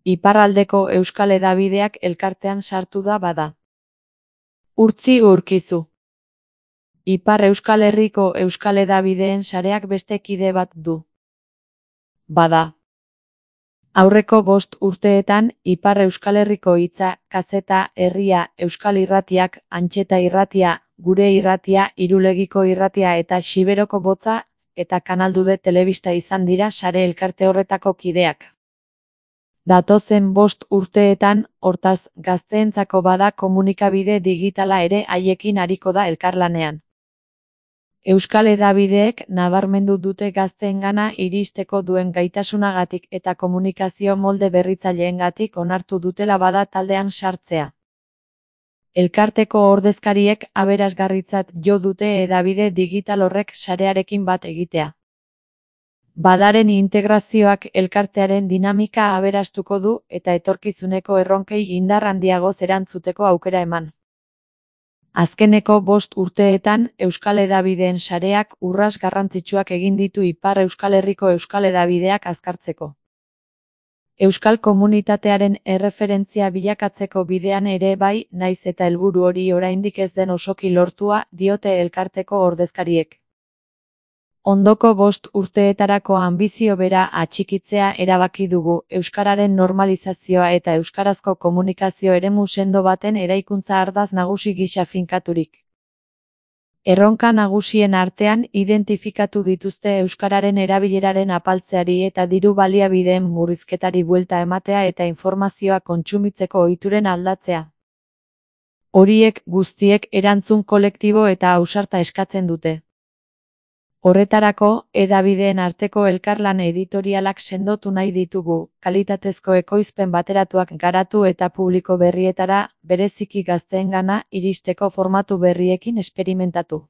Iparraldeko Euskal Hedabideak elkartean sartu da bada. Urtzi Urkizu. Ipar Euskal Herriko Euskal Hedabideen sareak beste kide bat du. Bada. Aurreko 5 urteetan, Ipar Euskal Herriko Hitza, Kazeta, Herria, Euskal Irratiak, Antxeta Irratia, Gure Irratia, Irulegiko Irratia eta Xiberoko Botza eta Kanaldude Telebista izan dira sare elkarte horretako kideak. Datozen 5 urteetan, hortaz, gazteentzako bada komunikabide digitala ere haiekin ariko da elkarlanean. Euskal Hedabideek nabarmendu dute gazteengana iristeko duen gaitasunagatik eta komunikazio molde berritzaileengatik onartu dutela bada taldean sartzea. Elkarteko ordezkariek aberasgarritzat jo dute hedabide digital horrek sarearekin bat egitea. Badaren integrazioak elkartearen dinamika aberastuko du eta etorkizuneko erronkei indar handiagoz erantzuteko aukera eman. Azkeneko 5 urteetan, Euskal Hedabideen sareak urrats garrantzitsuak egin ditu Ipar Euskal Herriko Euskal Hedabideak azkartzeko. Euskal komunitatearen erreferentzia bilakatzeko bidean ere bai, naiz eta helburu hori oraindik ez den osoki lortua, diote elkarteko ordezkariek. Ondoko 5 urteetarako anbizio bera atxikitzea erabaki dugu, euskararen normalizazioa eta euskarazko komunikazio eremu sendo baten eraikuntza ardatz nagusi gisa finkaturik. Erronka nagusien artean identifikatu dituzte euskararen erabileraren apaltzeari eta diru baliabideen murrizketari buelta ematea eta informazioa kontsumitzeko ohituren aldatzea. Horiek guztiek erantzun kolektibo eta ausarta eskatzen dute. Horretarako, hedabideen arteko elkarlan editorialak sendotu nahi ditugu, kalitatezko ekoizpen bateratuak garatu eta publiko berrietara, bereziki gazteengana, iristeko formatu berriekin esperimentatu.